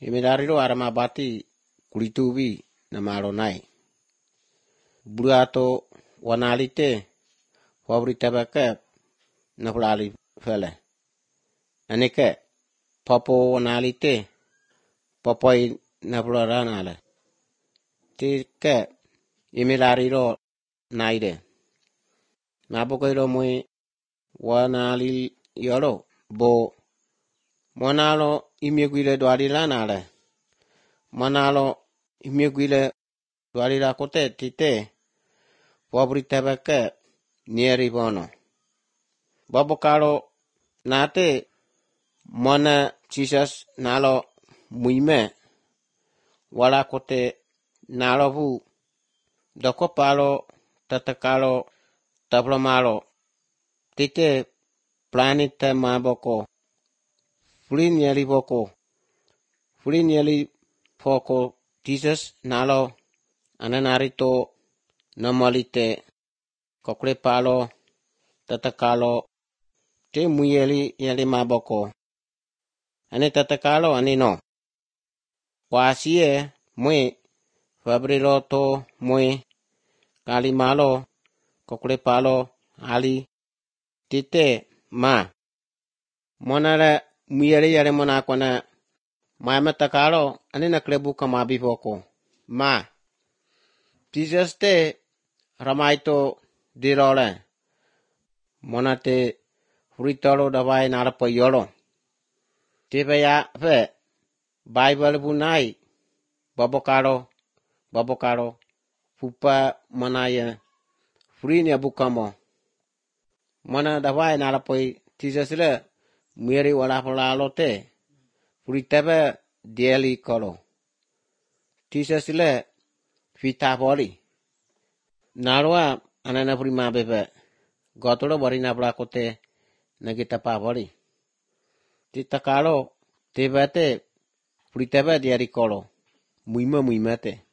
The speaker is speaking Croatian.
Imidariro aramabati kulitubi na maronai. Burato wanalite wabritabaka na fulali fele. Anike papo wanalite papoi na fularanale. Tike imidariro naide. Nabokoiro mui wanali yoro bo monalo imieguile dwalilanale. Monalo imieguile dwalila kote tite wabritabaka nieri bono. Babokalo nate mona Jesus nalo muime wala kote nalo bu doko palo tatakalo tablomalo tite planete maboko fulinieli boko fulinieli poko Jesus nalo ananarito namalite kokle palo tatakalo te muyeli yeli maboko ane tatakalo ane no wasie mui fabriroto mui kalimalo kokle palo ali tite ma monara muyeli yale monakwana ma takalo ane naklebu kamabi boko ma Jesus te ramaito dirole monate fritalo dawai narapo yolo tibaya fe Bible bunai babokalo pupa manaya frinya bukamo mona dawai narapo Jesus le muyeri wala falalo te fritaba dieli kolo Jesus le fita boli narwa anana prima bebe gotolo bari nabla kote nagita pa boli titakalo tebate fritaba diari kolo muima te